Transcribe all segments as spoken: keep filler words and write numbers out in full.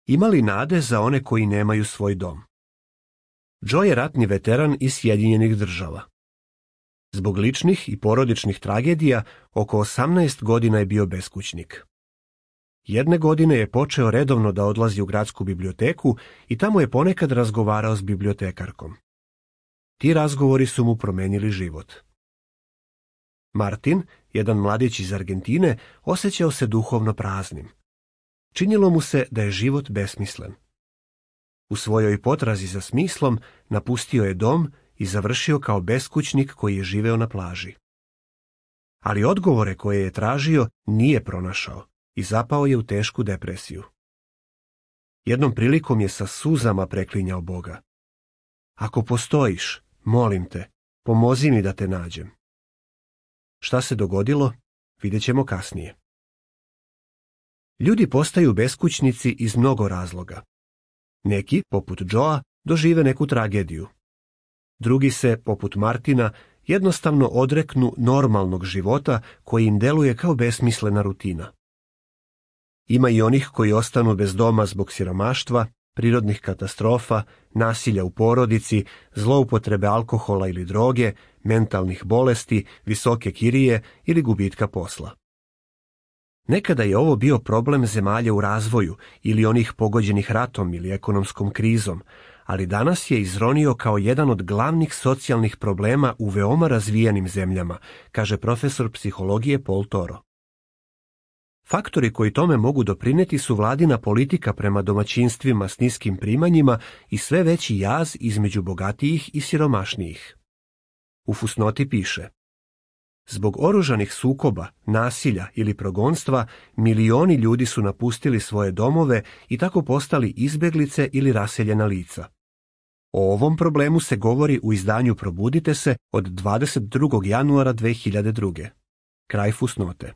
Ima li nade za one koji nemaju svoj dom? Joe je ratni veteran iz Sjedinjenih Država. Zbog ličnih i porodičnih tragedija, oko osamnaest godina je bio beskućnik. Jedne godine je počeo redovno da odlazi u gradsku biblioteku i tamo je ponekad razgovarao s bibliotekarkom. Ti razgovori su mu promenili život. Martin, jedan mladić iz Argentine, osjećao se duhovno praznim. Činilo mu se da je život besmislen. U svojoj potrazi za smislom napustio je dom i završio kao beskućnik koji je živeo na plaži. Ali odgovore koje je tražio nije pronašao i zapao je u tešku depresiju. Jednom prilikom je sa suzama preklinjao Boga. Ako postojiš, molim te, pomozi mi da te nađem. Šta se dogodilo, vidjet ćemo kasnije. Ljudi postaju beskućnici iz mnogo razloga. Neki, poput Joea, dožive neku tragediju. Drugi se, poput Martina, jednostavno odreknu normalnog života koji im deluje kao besmislena rutina. Ima i onih koji ostanu bez doma zbog siromaštva, prirodnih katastrofa, nasilja u porodici, zloupotrebe alkohola ili droge, mentalnih bolesti, visoke kirije ili gubitka posla. Nekada je ovo bio problem zemalja u razvoju ili onih pogođenih ratom ili ekonomskom krizom, ali danas je izronio kao jedan od glavnih socijalnih problema u veoma razvijenim zemljama, kaže profesor psihologije Paul Toro. Faktori koji tome mogu doprineti su vladina politika prema domaćinstvima s niskim primanjima i sve veći jaz između bogatijih i siromašnijih. U fusnoti piše: zbog oružanih sukoba, nasilja ili progonstva, milioni ljudi su napustili svoje domove i tako postali izbeglice ili raseljena lica. O ovom problemu se govori u izdanju Probudite se od dvadeset drugog januara dve hiljade druge. Kraj fusnote.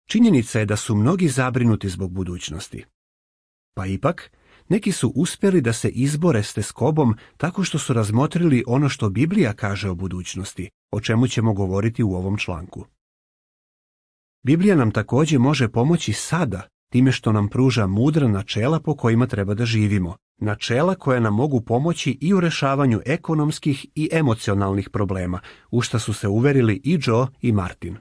Činjenica je da su mnogi zabrinuti zbog budućnosti. Pa ipak, neki su uspjeli da se izbore s teskobom tako što su razmotrili ono što Biblija kaže o budućnosti, o čemu ćemo govoriti u ovom članku. Biblija nam također može pomoći sada, time što nam pruža mudra načela po kojima treba da živimo, načela koja nam mogu pomoći i u rešavanju ekonomskih i emocionalnih problema, u šta su se uverili i Joe i Martin.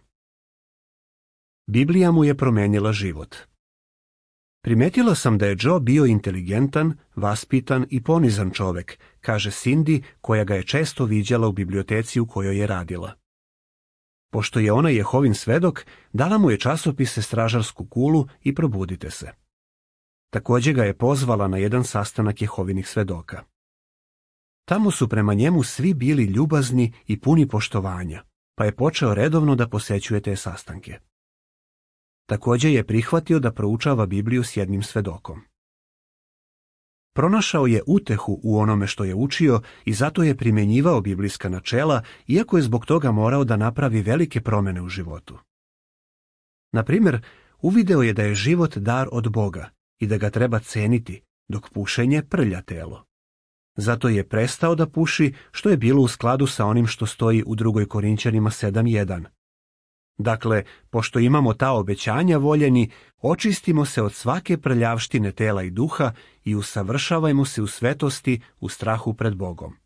Biblija mu je promenila život. Primetila sam da je Joe bio inteligentan, vaspitan i ponizan čovek, kaže Cindy, koja ga je često viđala u biblioteci u kojoj je radila. Pošto je ona Jehovin svedok, dala mu je časopise Stražarsku kulu i Probudite se. Također ga je pozvala na jedan sastanak Jehovinih svedoka. Tamo su prema njemu svi bili ljubazni i puni poštovanja, pa je počeo redovno da posećuje te sastanke. Također je prihvatio da proučava Bibliju s jednim svedokom. Pronašao je utehu u onome što je učio i zato je primjenjivao biblijska načela, iako je zbog toga morao da napravi velike promjene u životu. Na primjer, uvideo je da je život dar od Boga i da ga treba ceniti, dok pušenje prlja telo. Zato je prestao da puši, što je bilo u skladu sa onim što stoji u drugoj Korinćanima sedam jedan. Dakle, pošto imamo ta obećanja, voljeni, očistimo se od svake prljavštine tela i duha i usavršavajmo se u svetosti u strahu pred Bogom.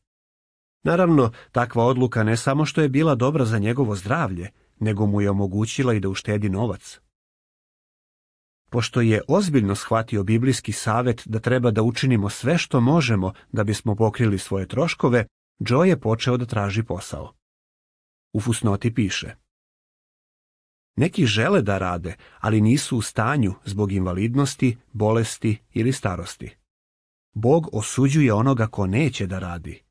Naravno, takva odluka ne samo što je bila dobra za njegovo zdravlje, nego mu je omogućila i da uštedi novac. Pošto je ozbiljno shvatio biblijski savet da treba da učinimo sve što možemo da bismo pokrili svoje troškove, Joe je počeo da traži posao. U fusnoti piše: neki žele da rade, ali nisu u stanju zbog invalidnosti, bolesti ili starosti. Bog osuđuje onoga ko neće da radi.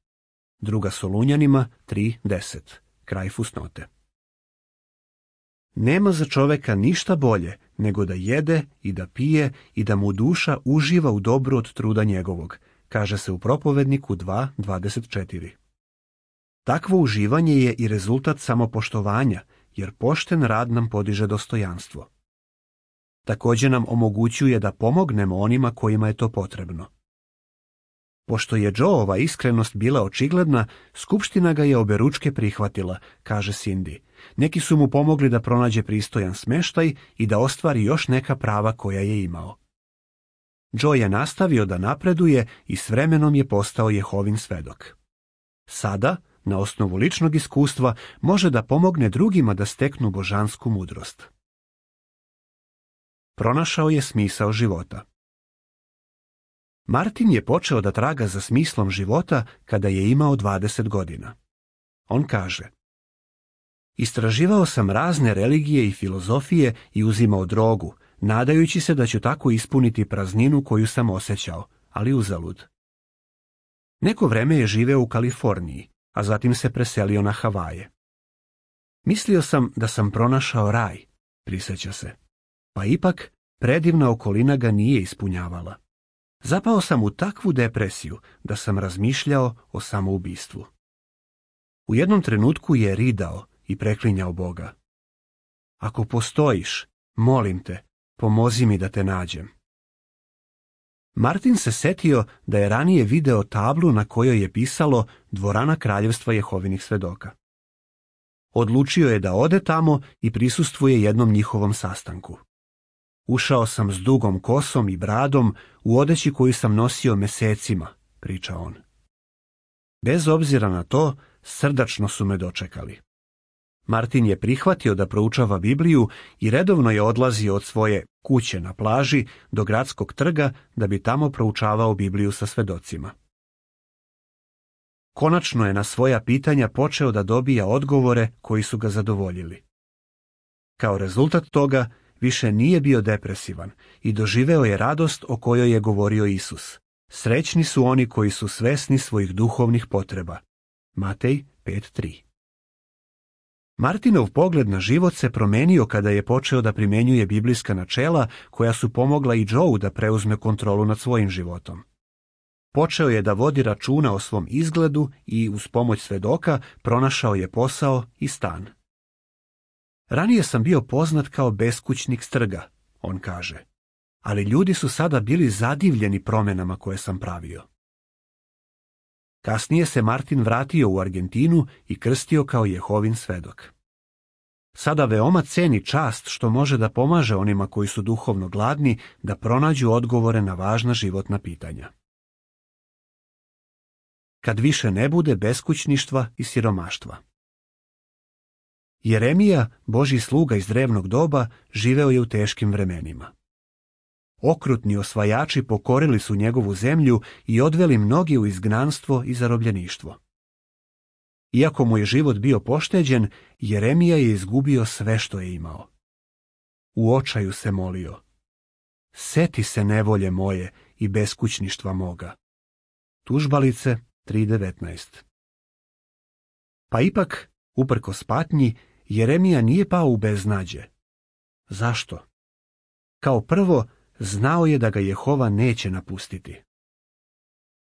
Druga Solunjanima tri deset. Kraj fusnote. Nema za čoveka ništa bolje nego da jede i da pije i da mu duša uživa u dobru od truda njegovog, kaže se u Propovedniku dva dvadeset četiri. Takvo uživanje je i rezultat samopoštovanja, jer pošten rad nam podiže dostojanstvo. Također nam omogućuje da pomognemo onima kojima je to potrebno. Pošto je Joeova iskrenost bila očigledna, skupština ga je oberučke prihvatila, kaže Cindy. Neki su mu pomogli da pronađe pristojan smeštaj i da ostvari još neka prava koja je imao. Joe je nastavio da napreduje i s vremenom je postao Jehovin svedok. Sada, na osnovu ličnog iskustva, može da pomogne drugima da steknu božansku mudrost. Pronašao je smisao života. Martin je počeo da traga za smislom života kada je imao dvadeset godina. On kaže: Istraživao sam razne religije i filozofije i uzimao drogu, nadajući se da ću tako ispuniti prazninu koju sam osjećao, ali uzalud. Neko vreme je živeo u Kaliforniji, a zatim se preselio na Havaje. Mislio sam da sam pronašao raj, prisjeća se, pa ipak predivna okolina ga nije ispunjavala. Zapao sam u takvu depresiju da sam razmišljao o samoubistvu. U jednom trenutku je ridao i preklinjao Boga. Ako postojiš, molim te, pomozi mi da te nađem. Martin se setio da je ranije video tablu na kojoj je pisalo Dvorana Kraljevstva Jehovinih svedoka. Odlučio je da ode tamo i prisustvuje jednom njihovom sastanku. Ušao sam s dugom kosom i bradom u odeći koju sam nosio mesecima, priča on. Bez obzira na to, srdačno su me dočekali. Martin je prihvatio da proučava Bibliju i redovno je odlazio od svoje kuće na plaži do gradskog trga da bi tamo proučavao Bibliju sa svedocima. Konačno je na svoja pitanja počeo da dobija odgovore koji su ga zadovoljili. Kao rezultat toga više nije bio depresivan i doživeo je radost o kojoj je govorio Isus. Srećni su oni koji su svesni svojih duhovnih potreba. Matej pet tri. Martinov pogled na život se promenio kada je počeo da primjenjuje biblijska načela koja su pomogla i Joeu da preuzme kontrolu nad svojim životom. Počeo je da vodi računa o svom izgledu i uz pomoć svedoka pronašao je posao i stan. Ranije sam bio poznat kao beskućnik s trga, on kaže, ali ljudi su sada bili zadivljeni promjenama koje sam pravio. Kasnije se Martin vratio u Argentinu i krstio kao Jehovin svedok. Sada veoma ceni čast što može da pomaže onima koji su duhovno gladni da pronađu odgovore na važna životna pitanja. Kad više ne bude beskućništva i siromaštva. Jeremija, Božji sluga iz drevnog doba, živeo je u teškim vremenima. Okrutni osvajači pokorili su njegovu zemlju i odveli mnogi u izgnanstvo i zarobljeništvo. Iako mu je život bio pošteđen, Jeremija je izgubio sve što je imao. U očaju se molio: Seti se nevolje moje i beskućništva moga. Tužbalice tri devetnaest. Pa ipak, uprkos patnji, Jeremija nije pao u beznađe. Zašto? Kao prvo, znao je da ga Jehova neće napustiti.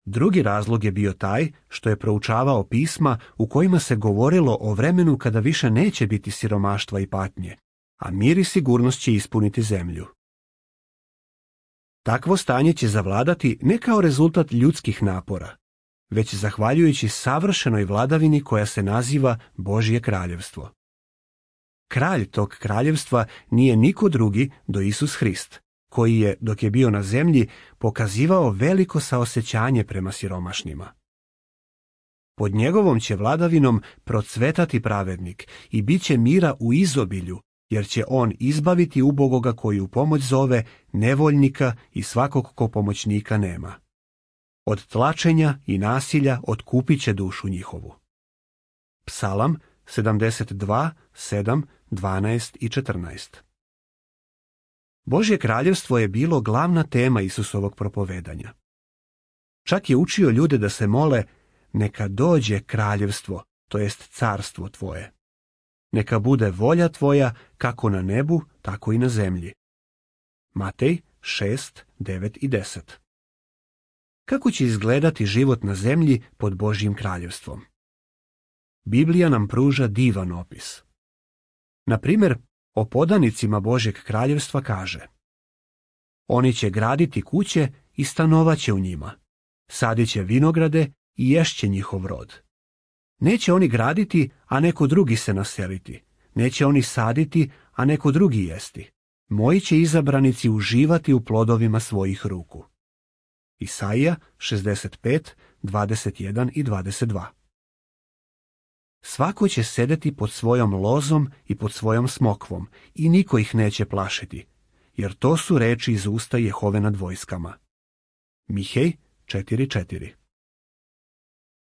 Drugi razlog je bio taj što je proučavao pisma u kojima se govorilo o vremenu kada više neće biti siromaštva i patnje, a mir i sigurnost će ispuniti zemlju. Takvo stanje će zavladati ne kao rezultat ljudskih napora, već zahvaljujući savršenoj vladavini koja se naziva Božje kraljevstvo. Kralj tog kraljevstva nije niko drugi do Isus Hrist, koji je, dok je bio na zemlji, pokazivao veliko saosećanje prema siromašnima. Pod njegovom će vladavinom procvetati pravednik i bit će mira u izobilju, jer će on izbaviti ubogoga koji u pomoć zove, nevoljnika i svakog ko pomoćnika nema. Od tlačenja i nasilja otkupit će dušu njihovu. Psalam sedamdeset dva, sedam, dvanaest i četrnaest. Božje kraljevstvo je bilo glavna tema Isusovog propovedanja. Čak je učio ljude da se mole: neka dođe kraljevstvo, to jest carstvo tvoje. Neka bude volja tvoja kako na nebu, tako i na zemlji. Matej šest, devet i deset. Kako će izgledati život na zemlji pod Božjim kraljevstvom? Biblija nam pruža divan opis. Na primjer, o podanicima Božjeg kraljevstva kaže: oni će graditi kuće i stanovaće u njima, sadit će vinograde i ješće njihov rod. Neće oni graditi, a neko drugi se naseliti, neće oni saditi, a neko drugi jesti. Moji će izabranici uživati u plodovima svojih ruku. Isaija šezdeset pet, dvadeset jedan i dvadeset dva. Svako će sedeti pod svojom lozom i pod svojom smokvom i niko ih neće plašiti, jer to su reči iz usta Jehove nad vojskama. Mihej četiri četiri.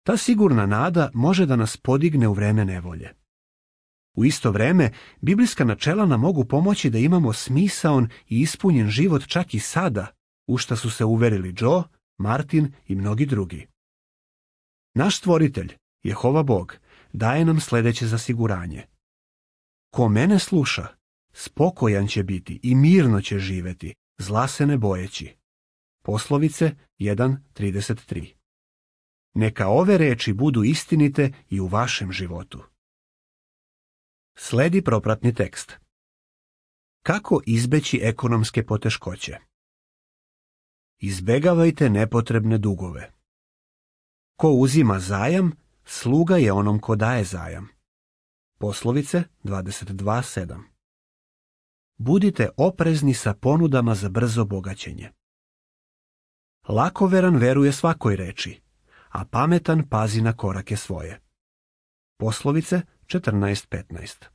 Ta sigurna nada može da nas podigne u vreme nevolje. U isto vreme, biblijska načela nam mogu pomoći da imamo smisaon i ispunjen život čak i sada, u šta su se uverili Joe, Martin i mnogi drugi. Naš stvoritelj, Jehova Bog, daje nam sljedeće zasiguranje. Ko mene sluša, spokojan će biti i mirno će živeti, zla se ne bojeći. Poslovice jedan trideset tri. Neka ove reči budu istinite i u vašem životu. Sledi propratni tekst. Kako izbeći ekonomske poteškoće? Izbegavajte nepotrebne dugove. Ko uzima zajam, sluga je onom ko daje zajam. Poslovice dvadeset dva sedam. Budite oprezni sa ponudama za brzo bogaćenje. Lakoveran veruje svakoj reči, a pametan pazi na korake svoje. Poslovice četrnaest petnaest.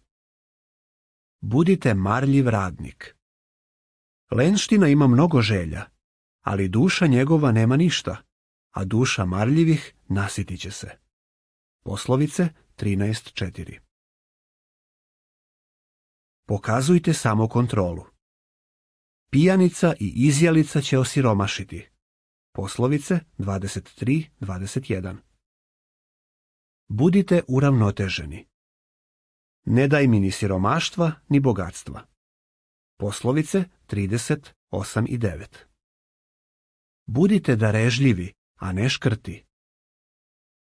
Budite marljiv radnik. Lenština ima mnogo želja, ali duša njegova nema ništa, a duša marljivih nasitit će se. Poslovice trinaest četiri. Pokazujte samokontrolu. Pijanica i izjalica će osiromašiti. Poslovice dvadeset tri dvadeset jedan. Budite uravnoteženi. Ne daj mi ni siromaštva, ni bogatstva. Poslovice trideset osam i devet. Budite darežljivi, a ne škrti.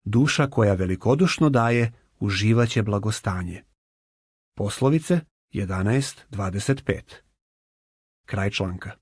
Duša koja velikodušno daje, uživaće blagostanje. Poslovice jedanaest dvadeset pet. Kraj članka.